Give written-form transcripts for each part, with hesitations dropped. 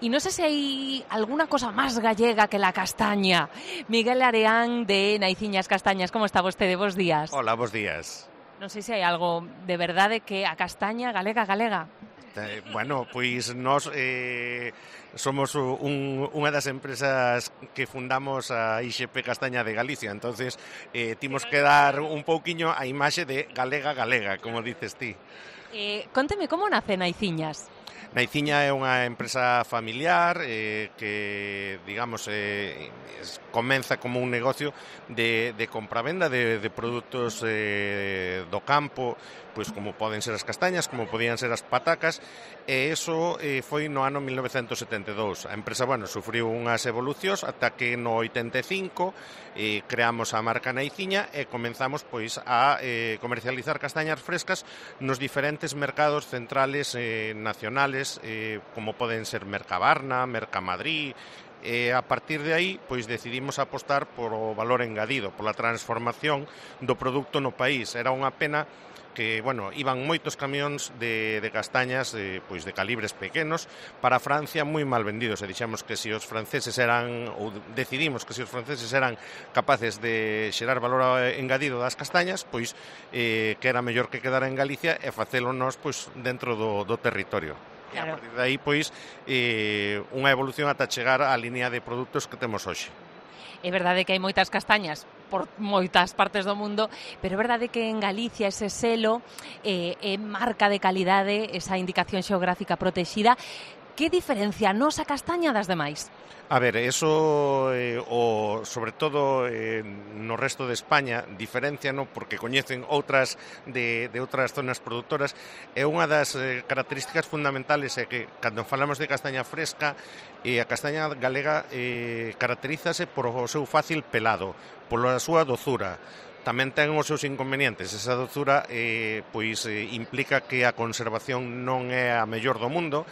Y no sé si hay alguna cosa más gallega que la castaña. Miguel Areán de Naiciñas Castañas, como está vostede? Bos días. Hola, bos días. Non sei se hai algo de verdade que a castaña galega. Bueno, pois nós somos unha das empresas que fundamos a IXP Castaña de Galicia, entonces timos que dar un pouquiño a imaxe de galega, como dices ti. Conteme, como nace Naiciñas? Naiciña é unha empresa familiar que, digamos, comeza como un negocio de compravenda de produtos do campo, pois como poden ser as castañas, como podían ser as patacas, e iso foi no ano 1972. A empresa, bueno, sufriu unhas evolucións ata que no 85 creamos a marca Naiciña e comenzamos pois a comercializar castañas frescas nos diferentes mercados centrales nacionales, como poden ser Mercabarna, Mercamadrid. E a partir de aí, pois decidimos apostar por o valor engadido, pola transformación do produto no país. Era unha pena que, bueno, iban moitos camións de castañas pois de calibres pequenos para Francia moi mal vendidos, e dixemos que se os franceses eran, ou decidimos que se os franceses eran capaces de xerar valor engadido das castañas, pois que era mellor que quedara en Galicia e facelo nós pois dentro do territorio. E a partir de aí, pois, unha evolución ata chegar á línea de produtos que temos hoxe. É verdade que hai moitas castañas por moitas partes do mundo, pero é verdade que en Galicia ese selo é marca de calidade, esa indicación xeográfica protexida. Que diferencia a nosa castaña das demais? A ver, eso, sobre todo no resto de España, diferencia, no, porque coñecen outras de outras zonas produtoras, e unha das características fundamentales é que, cando falamos de castaña fresca, a castaña galega caracterízase por o seu fácil pelado, pola súa dozura. Tamén ten os seus inconvenientes. Esa dozura pois implica que a conservación non é a mellor do mundo,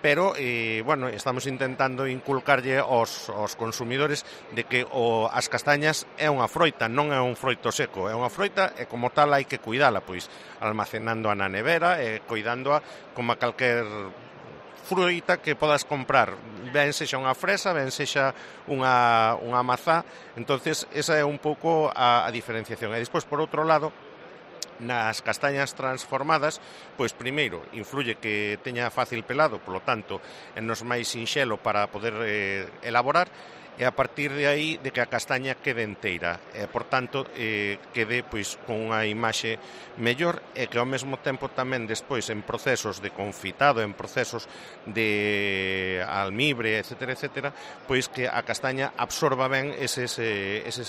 pero, bueno, estamos intentando inculcarlle aos consumidores de que as castañas é unha froita, non é un froito seco, é unha froita e como tal hai que cuidala, pois almacenándoa na nevera e cuidándoa como a calquer fruita que podas comprar, ben sexa unha fresa, ben sexa unha mazá. Entonces esa é un pouco a diferenciación. E despois, por outro lado, nas castañas transformadas, pois primeiro influye que teña fácil pelado, polo tanto, é nos máis sinxelo para poder elaborar, e a partir de aí de que a castaña quede enteira, e por tanto quede pois con unha imaxe mellor, e que ao mesmo tempo tamén despois en procesos de confitado, en procesos de almibre, etcétera, etcétera, pois que a castaña absorba ben eses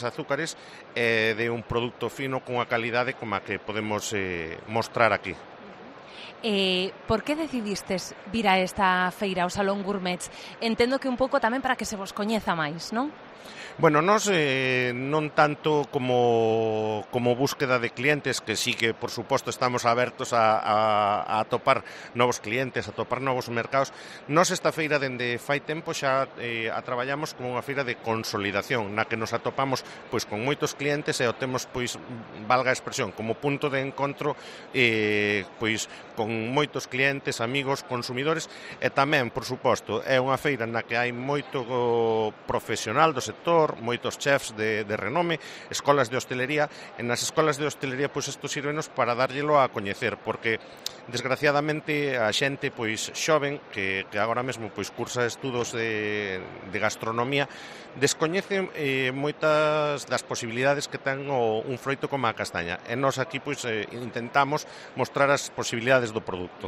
azúcares e de un produto fino cunha calidade como a que podemos mostrar aquí. Por que decidistes vir a esta feira, ao Salón Gourmets? Entendo que un pouco tamén para que se vos coñeza máis, non? Bueno, nós non tanto como búsqueda de clientes, que sí que, por suposto, estamos abertos a atopar novos clientes, a atopar novos mercados. Nós esta feira, dende fai tempo, xa a traballamos como unha feira de consolidación, na que nos atopamos pois con moitos clientes e o temos, pois, valga a expresión, como punto de encontro pois con moitos clientes, amigos, consumidores, e tamén, por suposto, é unha feira na que hai moito profesional do sector, moitos chefs de renome, escolas de hostelería, e nas escolas de hostelería pois isto sírvenos para darllelo a coñecer, porque desgraciadamente a xente pois xoven que agora mesmo pois cursa estudos de gastronomía descoñece moitas das posibilidades que ten un froito como a castaña, e nós aquí pois intentamos mostrar as posibilidades do produto.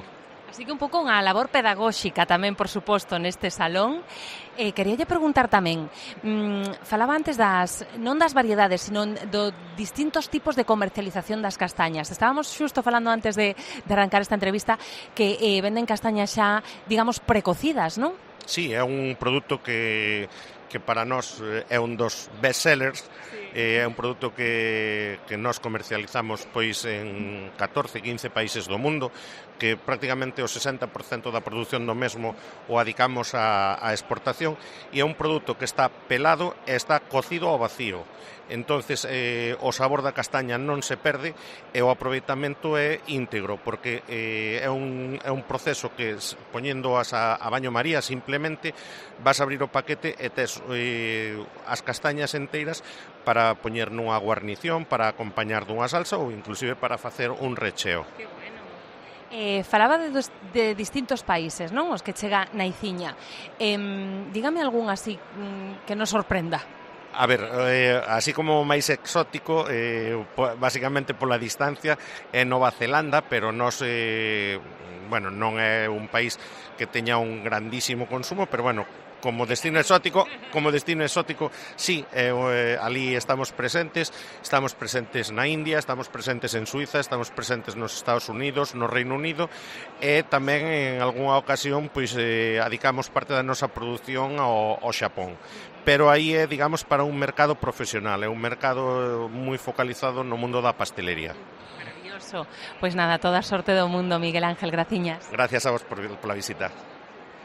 Así que un pouco unha labor pedagóxica tamén, por suposto, neste salón. Queríalle preguntar tamén, falaba antes non das variedades, sino do distintos tipos de comercialización das castañas. Estábamos xusto falando antes de arrancar esta entrevista que venden castañas xa, digamos, precocidas, non? Sí, é un produto que para nós é un dos best sellers, É un produto que nós comercializamos pois en 14, 15 países do mundo, que prácticamente o 60% da produción do mesmo o adicamos á exportación, e é un produto que está pelado e está cocido ao vacío. Entonces o sabor da castaña non se perde e o aproveitamento é íntegro, porque é un proceso que poñéndoas a baño maría simplemente vas a abrir o paquete e tes as castañas enteiras para poñer nunha guarnición, para acompañar dunha salsa ou inclusive para facer un recheo. Que bueno. Falaba de distintos países, non? Os que chega na Iciña. Dígame algún así que nos sorprenda. A ver, así como máis exótico, basicamente pola distancia, é Nova Zelanda, pero non é un país que teña un grandísimo consumo, pero bueno, como destino exótico, sí, ali estamos presentes na India, estamos presentes en Suiza, estamos presentes nos Estados Unidos, no Reino Unido, e tamén en algunha ocasión pois adicamos parte da nosa produción ao Xapón. Pero aí é, digamos, para un mercado profesional, é un mercado moi focalizado no mundo da pastelería. Maravilloso. Pois nada, toda a sorte do mundo, Miguel Ángel, graciñas. Gracias a vos pola visita.